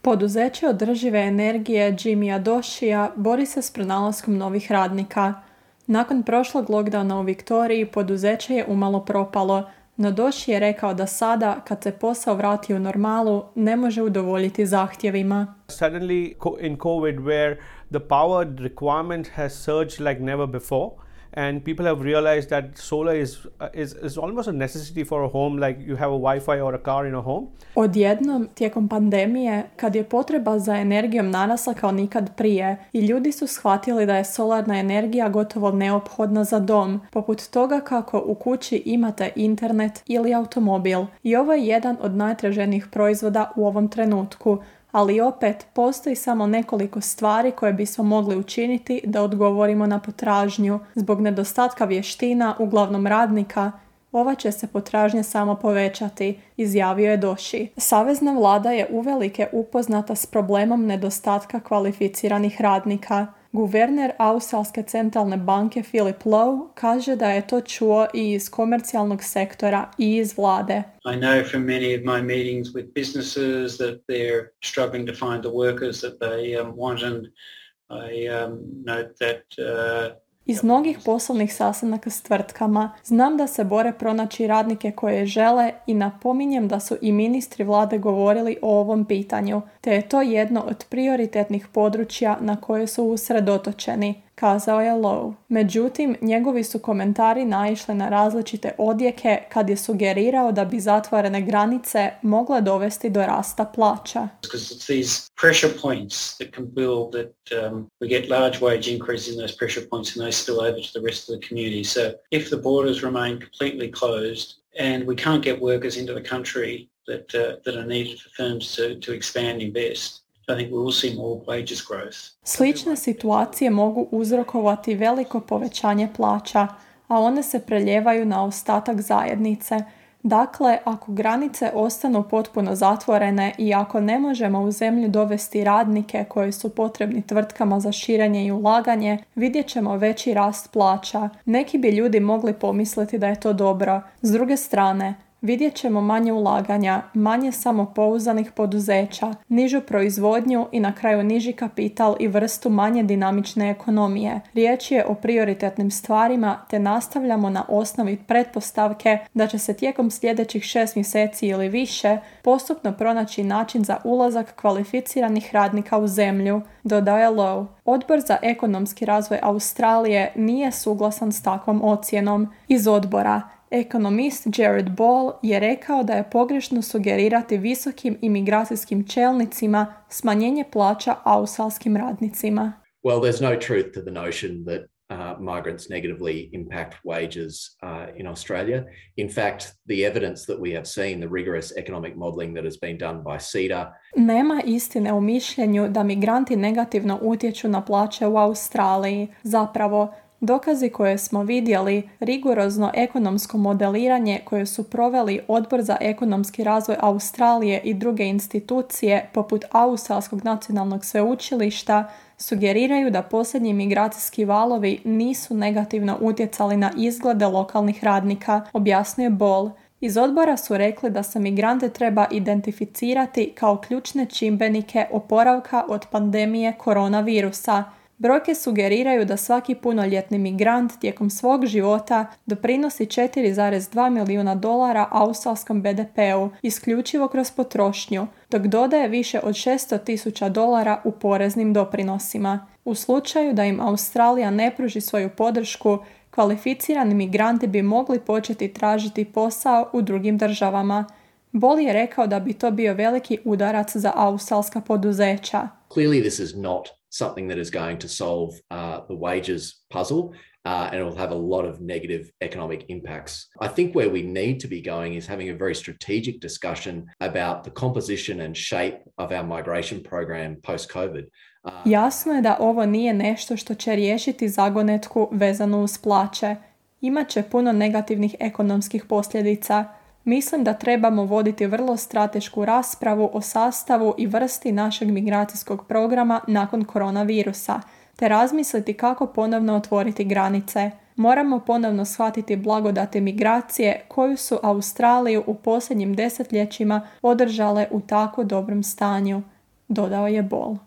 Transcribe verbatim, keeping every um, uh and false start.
Poduzeće održive energije Jimmya Doshija bori se s pronalaskom novih radnika. Nakon prošlog lockdowna u Viktoriji poduzeće je umalo propalo, no Doshi je rekao da sada, kad se posao vrati u normalu, ne može udovoljiti zahtjevima. Suddenly in COVID where the power requirement has surged like never before. And people have realized that solar is, is, is almost a necessity for a home, like you have a Wi-Fi or a car in a home. Odjednom, tijekom pandemije, kad je potreba za energijom narasla kao nikad prije i ljudi su shvatili da je solarna energija gotovo neophodna za dom, poput toga kako u kući imate internet ili automobil. I ovo je jedan od najtraženijih proizvoda u ovom trenutku. Ali opet, postoji samo nekoliko stvari koje bismo mogli učiniti da odgovorimo na potražnju. Zbog nedostatka vještina, uglavnom radnika, ova će se potražnja samo povećati, izjavio je Doshi. Savezna vlada je uvelike upoznata s problemom nedostatka kvalificiranih radnika. Guverner Australske centralne banke Philip Lowe kaže da je to čuo i iz komercijalnog sektora i iz vlade. I know from many of my meetings with businesses that they're struggling to find the workers that they um, want, and I um, note that uh, Iz mnogih poslovnih sastanaka s tvrtkama znam da se bore pronaći radnike koje žele i napominjem da su i ministri vlade govorili o ovom pitanju, te je to jedno od prioritetnih područja na koje su usredotočeni, kazao je Lowe. Međutim, njegovi su komentari naišli na različite odjeke kad je sugerirao da bi zatvorene granice mogle dovesti do rasta plaća. Because it's these pressure points that can build that um, we get large wage increases in those pressure points and they spill over to the rest of the community. So if the borders remain completely closed and we can't get workers into the country that uh, that are needed for firms to, to expand, invest, I think we will see more wages growth. Slične situacije mogu uzrokovati veliko povećanje plaća, a one se preljevaju na ostatak zajednice. Dakle, ako granice ostanu potpuno zatvorene i ako ne možemo u zemlju dovesti radnike koji su potrebni tvrtkama za širenje i ulaganje, vidjet ćemo veći rast plaća. Neki bi ljudi mogli pomisliti da je to dobro. S druge strane, vidjet ćemo manje ulaganja, manje samopouzdanih poduzeća, nižu proizvodnju i na kraju niži kapital i vrstu manje dinamične ekonomije. Riječ je o prioritetnim stvarima te nastavljamo na osnovi pretpostavke da će se tijekom sljedećih šest mjeseci ili više postupno pronaći način za ulazak kvalificiranih radnika u zemlju, dodaje Lowe. Odbor za ekonomski razvoj Australije nije suglasan s takvom ocjenom. Iz odbora ekonomist Jared Ball je rekao da je pogrešno sugerirati visokim imigracijskim čelnicima smanjenje plaća australskim radnicima. Well, there's no truth to the notion that uh, migrants negatively impact wages uh, in Australia. In fact, the evidence that we have seen, the rigorous economic modelling that has been done by C E D A. Nema istine u mišljenju da migranti negativno utječu na plaće u Australiji. Zapravo, dokazi koje smo vidjeli, rigorozno ekonomsko modeliranje koje su proveli Odbor za ekonomski razvoj Australije i druge institucije poput Australskog nacionalnog sveučilišta, sugeriraju da posljednji migracijski valovi nisu negativno utjecali na izglede lokalnih radnika, objasnio Ball. Iz odbora su rekli da se migrante treba identificirati kao ključne čimbenike oporavka od pandemije koronavirusa. Brojke sugeriraju da svaki punoljetni migrant tijekom svog života doprinosi četiri zarez dva milijuna dolara australskom be de peu, isključivo kroz potrošnju, dok dodaje više od šesto tisuća dolara u poreznim doprinosima. U slučaju da im Australija ne pruži svoju podršku, kvalificirani migranti bi mogli početi tražiti posao u drugim državama. Ball je rekao da bi to bio veliki udarac za australska poduzeća. Clearly this is not something that is going to solve uh, the wages puzzle, uh, and it will have a lot of negative economic impacts. I think where we need to be going is having a very strategic discussion about the composition and shape of our migration program post-COVID. Uh, Jasno je da ovo nije nešto što će riješiti zagonetku vezanu uz plaće. Imaće puno negativnih ekonomskih posljedica. Mislim da trebamo voditi vrlo stratešku raspravu o sastavu i vrsti našeg migracijskog programa nakon koronavirusa, te razmisliti kako ponovno otvoriti granice. Moramo ponovno shvatiti blagodati migracije koju su Australiju u posljednjim desetljećima održale u tako dobrom stanju, dodao je Ball.